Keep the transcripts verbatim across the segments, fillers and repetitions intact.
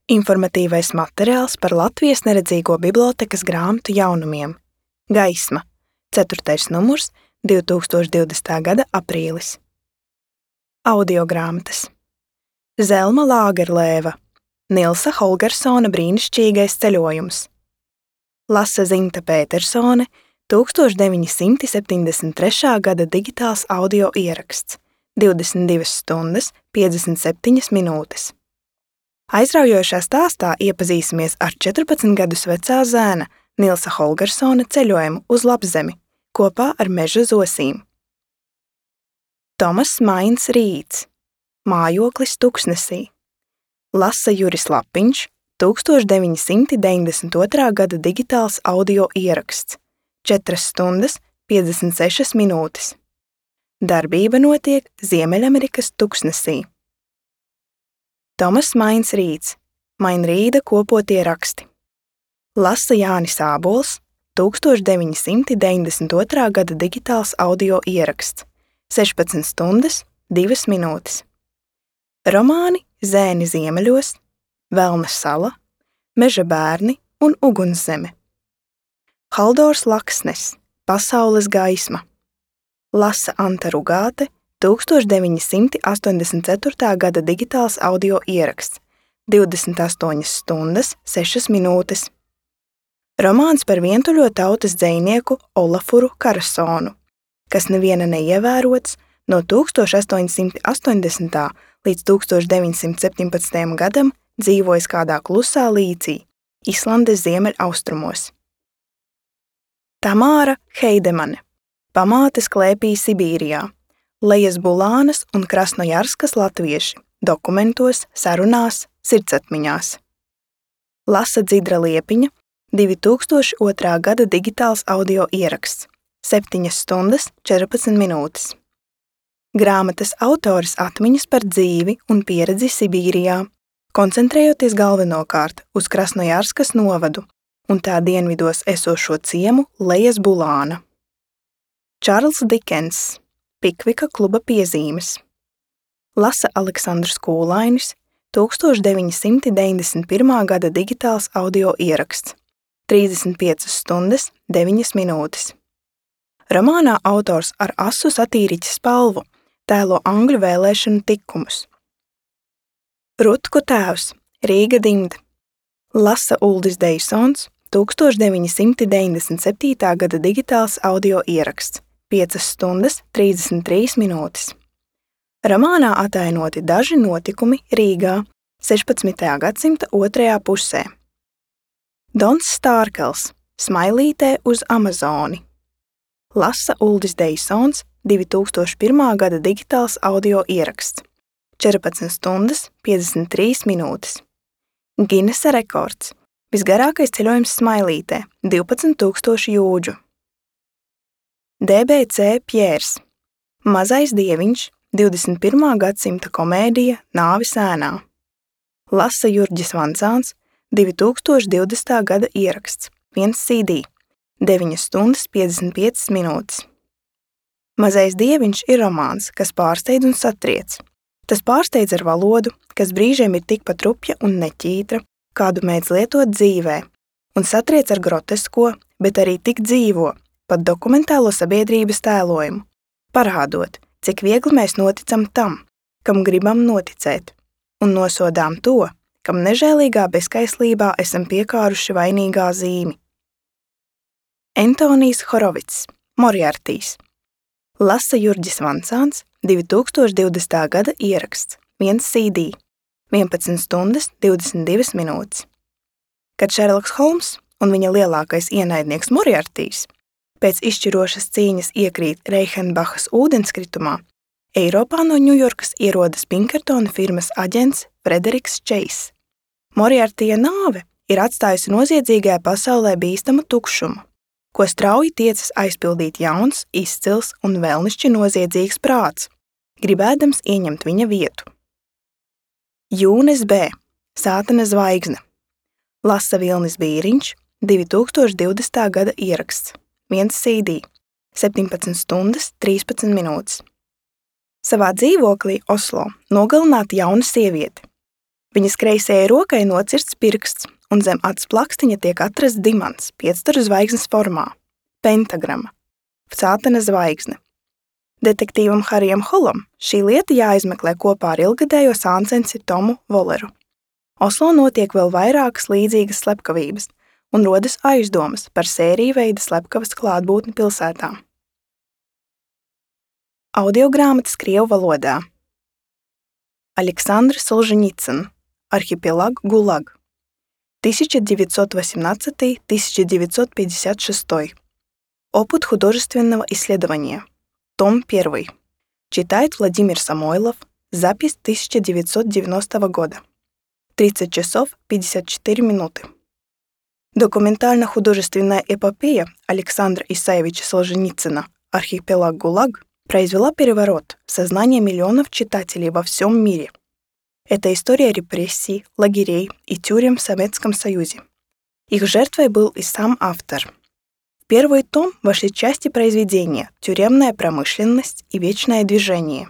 Informatīvais materiāls par Latvijas neredzīgo bibliotēkas grāmatu jaunumiem. Gaisma. ceturtais numurs, divi tūkstoši divdesmitā gada aprīlis. Audiogrāmatas. Zelma Lāgerlēva. Nilsa Holgersona brīnišķīgais ceļojums. Lasa Zinta Pētersone, tūkstoš deviņi simti septiņdesmit trešā gada digitāls audio ieraksts, divdesmit divas stundas, piecdesmit septiņas minūtes. Aizraujošā stāstā iepazīsimies ar četrpadsmit gadus vecā zēna Nilsa Holgersona ceļojumu uz Lapzemi kopā ar meža zosīm. Tomas Mains Rīts. Mājoklis Tuksnesī. Lasa Juris Lapiņš, tūkstoš deviņi simti deviņdesmit otrā gada digitāls audio ieraksts, četras stundas, piecdesmit sešas minūtes. Darbība notiek Ziemeļamerikas Tuksnesī. Tomas Mains Rīts. Mainrīda kopotie raksti. Lasa Jānis Ābols, tūkstoš deviņi simti deviņdesmit otrā gada digitāls audio ieraksts, sešpadsmit stundas, divas minūtes. Romāni Zēni ziemeļos, Velna sala, Meža bērni un Ugunszeme. Haldors Laksnes, Pasaules gaisma. Lasa Anta Rugāte, tūkstoš deviņi simti astoņdesmit ceturtā gada digitāls audio ieraksts, divdesmit astoņas stundas, sešas minūtes. Romāns par vientuļo tautas dzejnieku Olafuru Karasonu, kas neviena neievērots no tūkstoš astoņi simti astoņdesmitā līdz tūkstoš deviņi simti septiņpadsmitajam gadam dzīvojis kādā klusā līcī, Islandes ziemeļaustrumos. Tamāra Heidemane. Pamātes klēpī Sibīrijā. Lejas Bulānas un Krasnojarskas latvieši. Dokumentos, sarunās, sirdsatmiņās. Lasa Dzidra Liepiņa. divi tūkstoši otrā gada digitāls audio ieraksts. septiņas stundas, četrpadsmit minūtes. Grāmatas autoris atmiņas par dzīvi un pieredzi Sibīrijā, koncentrējoties galvenokārt uz Krasnojarskas novadu un tā dienvidos esošo ciemu Lejas Bulāna. Čārls Dikens. Pikvika kluba piezīmes. Lasa Aleksandrs Kūlainis, tūkstoš deviņi simti deviņdesmit pirmā gada digitāls audio ieraksts, trīsdesmit piecas stundas, deviņas minūtes. Romānā autors ar asu satīriķa spalvu tēlo angļu vēlēšanu tikumus. Rutku tēvs, Rīga dimta. Lasa Uldis Deisons, tūkstoš deviņi simti deviņdesmit septītā gada digitāls audio ieraksts, piecas stundas, trīsdesmit trīs minūtes. Romānā atainoti daži notikumi Rīgā sešpadsmitajā gadsimta otrajā pusē. Dons Stārkels. Smailītē uz Amazoni. Lasa Uldis Deisons, divi tūkstoši pirmā gada digitāls audio ieraksts, četrpadsmit stundas, piecdesmit trīs minūtes. Ginesa rekords. Visgarākais ceļojums Smailītē – divpadsmit tūkstoši jūdžu. D B C Pjērs. Mazais dieviņš, divdesmit pirmā gadsimta komēdija Nāves ēnā. Lasa Jurģis Vancāns, divi tūkstoši divdesmitā gada ieraksts, viens C D, deviņas stundas, piecdesmit piecas minūtes. Mazais dieviņš ir romāns, kas pārsteidz un satriec. Tas pārsteidz ar valodu, kas brīžiem ir tikpat rupja un neķītra, kādu mēdz lietot dzīvē, un satriec ar grotesko, bet arī tik dzīvo, pat dokumentālo sabiedrības tēlojumu, parādot, cik viegli mēs noticam tam, kam gribam noticēt, un nosodām to, kam nežēlīgā bezskaislībā esam piekāruši vainīgā zīmi. Entonijs Horovits. Moriartīs. Lasa Jurģis Vancāns, divi tūkstoši divdesmitā gada ieraksts, viens C D, vienpadsmit stundas, divdesmit divas minūtes. Kad Šerloks Holms un viņa lielākais ienaidnieks Moriartīs pēc izšķirošas cīņas iekrīt Reichenbachas ūdenskritumā, Eiropā no Ņujorkas ierodas Pinkertona firmas aģents Frederiks Čeiss. Moriartija nāve ir atstājusi noziedzīgajā pasaulē bīstamu tukšumu, ko strauji tiecas aizpildīt jauns, izcils un vēlnišķi noziedzīgs prāts, gribēdams ieņemt viņa vietu. Jūnes B. Sātana zvaigzne. Lasa Vilnis Bīriņš, divi tūkstoši divdesmitā gada ieraksts, viens C D, septiņpadsmit stundas, trīspadsmit minūtes. Savā dzīvoklī Oslo nogalināta jauna sieviete. Viņas kreisajai rokai nocirsts pirksts, un zem acu plakstiņa tiek atrasts dimants piecstara zvaigznes formā – pentagrama, sātana zvaigzne. Detektīvam Harijam Holam šī lieta jāizmeklē kopā ar ilgadējo sāncensi Tomu Voleru. Oslo notiek vēl vairākas līdzīgas slepkavības un rodas aizdomas par sēriju veida slepkavas klātbūtni pilsētā. Audiogrāmatas krievu valodā. Александр Солженицын. Архипелаг ГУЛАГ. тысяча девятьсот восемнадцатый — тысяча девятьсот пятьдесят шестой. Опыт художественного исследования. Том первый. Читает Владимир Самойлов. Запись тысяча девятьсот девяностого года. тридцать часов пятьдесят четыре минуты. Документально-художественная эпопея Александра Исаевича Солженицына «Архипелаг ГУЛАГ» произвела переворот в сознание миллионов читателей во всем мире. Это история репрессий, лагерей и тюрем в Советском Союзе. Их жертвой был и сам автор. В первый том вошли части произведения «Тюремная промышленность» и «Вечное движение».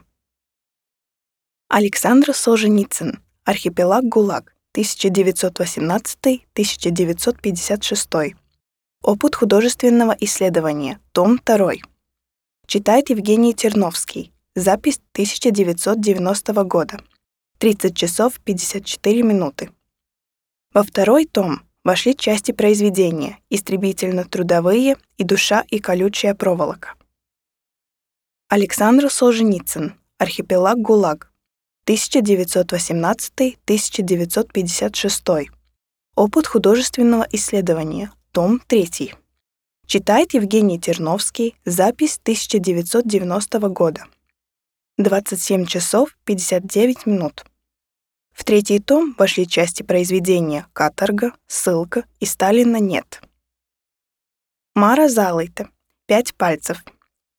Александр Солженицын. «Архипелаг ГУЛАГ», тысяча девятьсот восемнадцатый — тысяча девятьсот пятьдесят шестой. Опыт художественного исследования. Том второй. Читает Евгений Терновский. Запись тысяча девятьсот девяностого года. тридцать часов пятьдесят четыре минуты. Во второй том вошли части произведения «Истребительно-трудовые» и «Душа и колючая проволока». Александр Солженицын. «Архипелаг ГУЛАГ», тысяча девятьсот восемнадцатый — тысяча девятьсот пятьдесят шестой. Опыт художественного исследования. Том третий. Читает Евгений Терновский. Запись тысяча девятьсот девяностого года. двадцать семь часов пятьдесят девять минут. В третий том вошли части произведения «Каторга», «Ссылка» и «Сталина нет». Мара Залыйте. «Пять пальцев».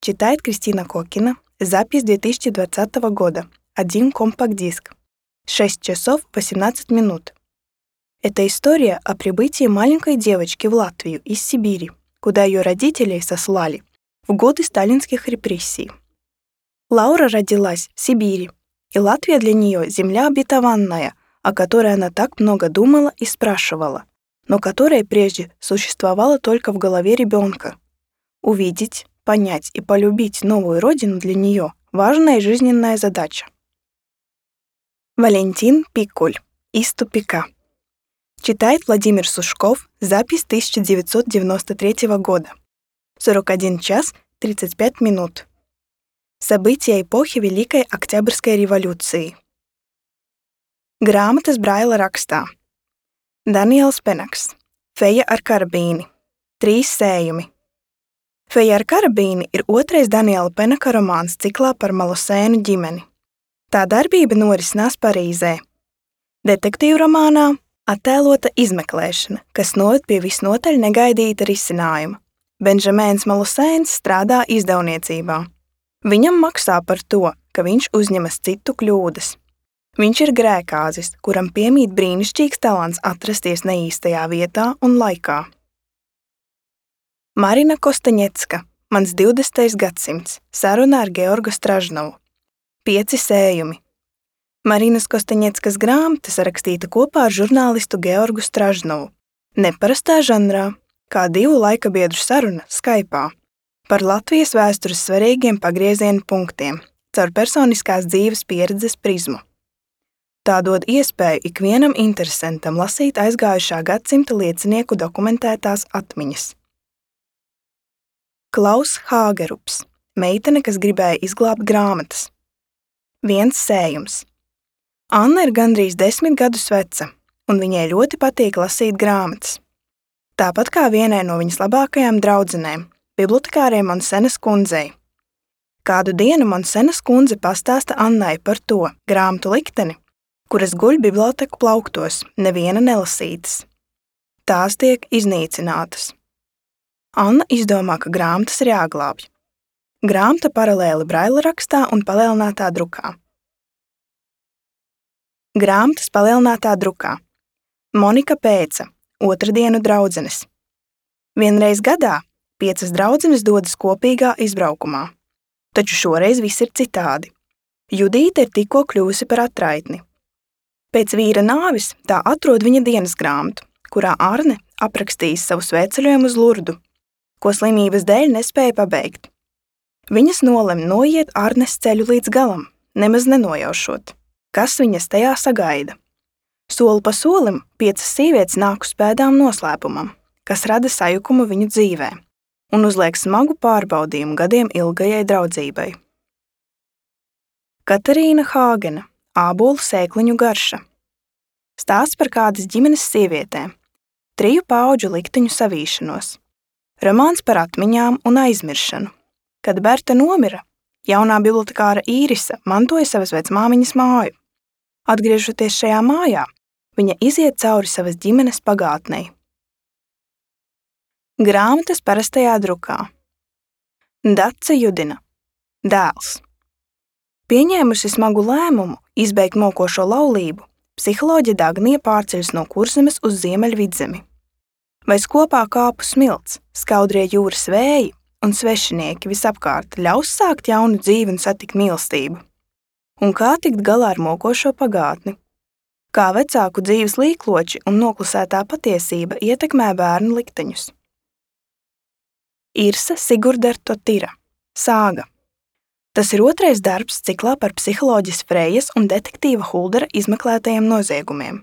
Читает Кристина Кокина. Запись две тысячи двадцатого года. Один компакт-диск. шесть часов восемнадцать минут. Это история о прибытии маленькой девочки в Латвию из Сибири, куда ее родителей сослали в годы сталинских репрессий. Лаура родилась в Сибири, и Латвия для нее земля обетованная, о которой она так много думала и спрашивала, но которая прежде существовала только в голове ребенка. Увидеть, понять и полюбить новую родину для нее – важная жизненная задача. Валентин Пикуль. Из тупика. Читает Владимир Сушков. Запись тысяча девятьсот девяносто третьего года. сорок один час тридцать пять минут. События эпохи Великой Октябрьской революции. Grāmatas Braila rakstā. Daniels Penaks. Feja ar karabīni. Trīs sējumi. Feja ar karabīni ir otrais Daniela Penaka romāns ciklā par Malosēnu ģimeni. Tā darbība norisinās Parīzē. Detektīvu romānā attēlota izmeklēšana, kas noved pie visnotaļ negaidīta risinājuma. Benžamēns Malosēns strādā izdevniecībā. Viņam maksā par to, ka viņš uzņemas citu kļūdas. Viņš ir grēkāzis, kuram piemīt brīnišķīgs talants atrasties neīstajā vietā un laikā. Marina Kostaņecka. Mans divdesmitais gadsimts. Saruna ar Georgu Stražnovu. Pieci sējumi. Marinas Kostaņeckas grāmata sarakstīta kopā ar žurnālistu Georgu Stražnovu. Neparastā žanrā, kā divu laikabiedru saruna Skype'ā, par Latvijas vēstures svarīgiem pagrieziena punktiem, caur personiskās dzīves pieredzes prizmu. Tā dod iespēju ikvienam interesantam lasīt aizgājušā gadsimta liecinieku dokumentētās atmiņas. Klaus Hāgerups. Meitene, kas gribēja izglābt grāmatas. Viens sējums. Anna ir gandrīz desmit gadus veca, un viņai ļoti patīk lasīt grāmatas. Tāpat kā vienai no viņas labākajām draudzenēm, bibliotekārei Monsenas kundzei. Kādu dienu Monsenas kundze pastāsta Annai par to grāmatu likteni, kuras guļ biblioteku plauktos, neviena nelasītas. Tās tiek iznīcinātas. Anna izdomā, ka grāmatas ir jāglābj. Grāmata paralēli Braila rakstā un palielinātā drukā. Grāmatas palielinātā drukā. Monika Pēca. Otrdienu draudzenes. Vienreiz gadā piecas draudzenes dodas kopīgā izbraukumā. Taču šoreiz viss ir citādi. Judīte ir tikko kļuvusi par atraitni. Pēc vīra nāvis tā atrod viņa dienas grāmatu, kurā Arne aprakstījis savu svētceļojumu uz Lurdu, ko slimības dēļ nespēja pabeigt. Viņas nolem noiet Arnes ceļu līdz galam, nemaz nenojaušot, kas viņas tajā sagaida. Soli pa solim piecas sievietes nāk uz pēdām noslēpumam, kas rada sajukumu viņu dzīvē un uzliek smagu pārbaudījumu gadiem ilgajai draudzībai. Katarīna Hāgena, ābolu sēkliņu garša. Stāsts par kādas ģimenes sievietēm, triju paudžu likteņu savīšanos. Romāns par atmiņām un aizmiršanu. Kad Berta nomira, jaunā bibliotekāra Īrisa mantoja savas vecmāmiņas māju. Atgriežoties šajā mājā, viņa iziet cauri savas ģimenes pagātnei. Grāmatas parastajā drukā. Dace Judina. Dēls. Pieņēmusi smagu lēmumu izbeigt mokošo laulību, psiholoģe Dagnija pārceļas no Kurzemes uz Ziemeļvidzemi. Vairs kopā kāpu smilts, skaudrie jūras vēji un svešinieki visapkārt ļaus sākt jaunu dzīvi un satikt mīlestību. Un kā tikt galā ar mokošo pagātni? Kā vecāku dzīves līkloči un noklusētā patiesība ietekmē bērnu likteņus. Irsa Sigurdertotira. Sāga. Tas ir otrais darbs ciklā par psiholoģis Frejas un detektīva Huldera izmeklētajiem noziegumiem.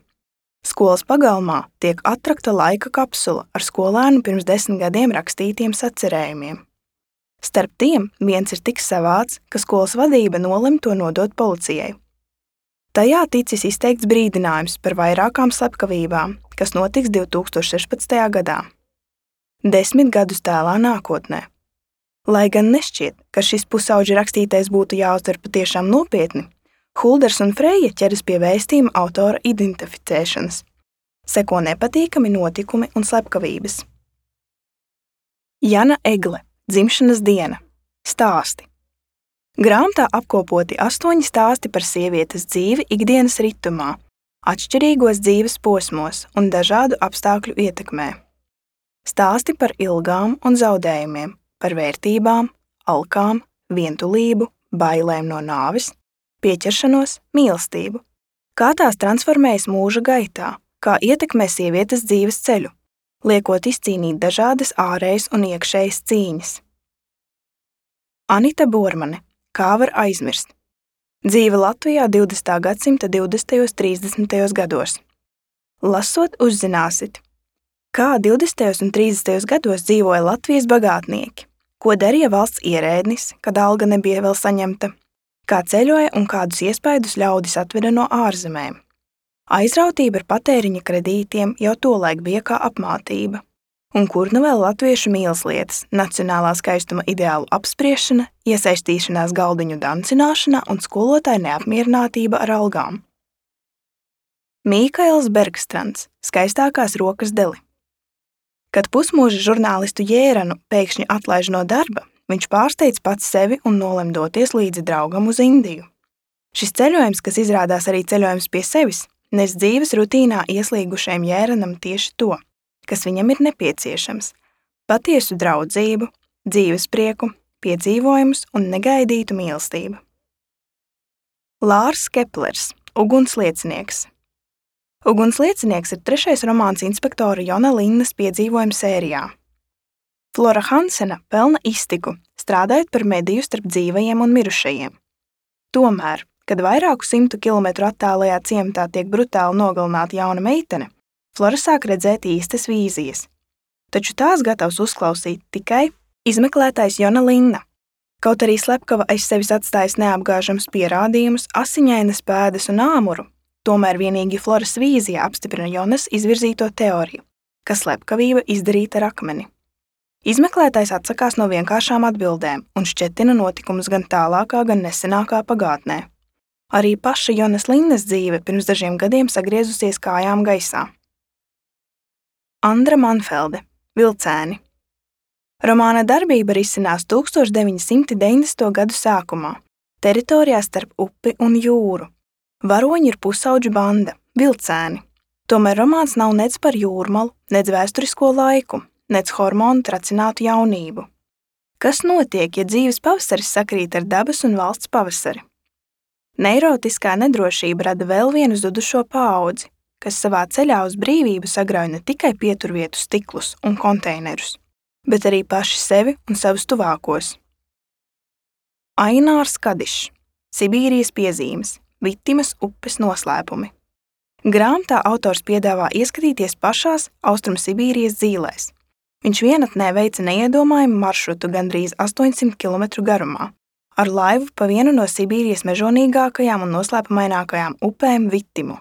Skolas pagalmā tiek atrakta laika kapsula ar skolēnu pirms desmit gadiem rakstītiem sacerējumiem. Starp tiem viens ir tik savāds, ka skolas vadība nolem to nodot policijai. Tajā ticis izteikts brīdinājums par vairākām slepkavībām, kas notiks divi tūkstoši sešpadsmitajā gadā. Desmit gadus tālā nākotnē. Lai gan nešķiet, ka šis pusauģi rakstītais būtu jāuztver patiešām nopietni, Hulders un Freja ķeras pie vēstījuma autora identificēšanas. Seko nepatīkami notikumi un slepkavības. Jana Egle. Dzimšanas diena. Stāsti. Grāmatā apkopoti astoņi stāsti par sievietes dzīvi ikdienas ritumā, atšķirīgos dzīves posmos un dažādu apstākļu ietekmē. Stāsti par ilgām un zaudējumiem, par vērtībām, alkām, vientulību, bailēm no nāves, pieķeršanos, mīlestību. Kā tās transformējas mūža gaitā, kā ietekmē sievietes dzīves ceļu, liekot izcīnīt dažādas ārējas un iekšējas cīņas. Anita Bormane. Kā var aizmirst? Dzīve Latvijā divdesmitā gadsimta divdesmitajos un trīsdesmitajos gados. Lasot, uzzināsit, kā divdesmitajos un trīsdesmitajos gados dzīvoja Latvijas bagātnieki, ko darīja valsts ierēdnis, kad alga nebija vēl saņemta, kā ceļoja un kādus iespaidus ļaudis atveda no ārzemēm. Aizrautība ar patēriņa kredītiem jau tolaik bija kā apmātība. Un kur nu vēl latviešu mīleslietas, nacionālā skaistuma ideālu apspriešana, iesaistīšanās galdiņu dancināšanā un skolotāja neapmierinātība ar algām. Mīkails Bergstrands. Skaistākās rokas deli. Kad pusmūža žurnālistu Jēranu pēkšņi atlaiž no darba, viņš pārsteidz pats sevi un nolem doties līdzi draugam uz Indiju. Šis ceļojums, kas izrādās arī ceļojums pie sevis, nes dzīves rutīnā ieslīgušajam Jēranam tieši to, kas viņam ir nepieciešams – patiesu draudzību, dzīvesprieku, piedzīvojumus un negaidītu mīlestību. Lārs Keplers. Ugunsliecinieks. Ugunsliecinieks ir trešais romāns inspektora Jona Linnas piedzīvojumu sērijā. Flora Hansena pelna iztiku, strādājot par mediju starp dzīvajiem un mirušajiem. Tomēr, kad vairāku simtu kilometru attālajā ciematā tiek brutāli nogalināta jauna meitene, Flora sāk redzēt īstas vīzijas. Taču tās gatavs uzklausīt tikai izmeklētājs Jona Linna. Kaut arī slepkava aiz sevis atstājas neapgāžams pierādījumus, asiņainas pēdas un āmuru, tomēr vienīgi Floras vīzija apstiprina Jonas izvirzīto teoriju, ka slepkavība izdarīta ar akmeni. Izmeklētājs atsakās no vienkāršām atbildēm un šķetina notikumus gan tālākā, gan nesenākā pagātnē. Arī paša Jonas Linnas dzīve pirms dažiem gadiem sagriezusies kājām gaisā. Andra Manfelde. Vilcēni. Romāna darbība risinās tūkstoš deviņi simti deviņdesmito gadu sākumā, teritorijā starp upi un jūru. Varoņi ir pusauģu banda, vilcēni. Tomēr romāns nav nec par jūrmalu, nec vēsturisko laiku, nec hormonu tracinātu jaunību. Kas notiek, ja dzīves pavasaris sakrīt ar dabas un valsts pavasari? Neirotiskā nedrošība rada vēl vienu zudušo paudzi, kas savā ceļā uz brīvību sagrauj ne tikai pieturvietu stiklus un konteinerus, bet arī paši sevi un savus tuvākos. Ainārs Kadišs, Sibīrijas piezīmes, Vitimas upes noslēpumi. Grāmatā autors piedāvā ieskatīties pašās Austrumsibīrijas dzīlēs. Viņš vienatnē veica neiedomājumu maršrutu gandrīz astoņsimt kilometru garumā, ar laivu pa vienu no Sibīrijas mežonīgākajām un noslēpumainākajām upēm Vitimu.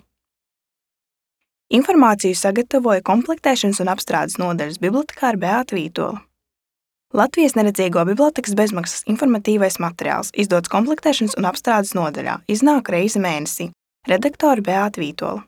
Informāciju sagatavoja komplektēšanas un apstrādes nodaļas bibliotekāre Beāta Vītola. Latvijas neredzīgo bibliotekas bezmaksas informatīvais materiāls izdots komplektēšanas un apstrādes nodaļā, iznāk reizi mēnesī. Redaktore Beāta Vītola.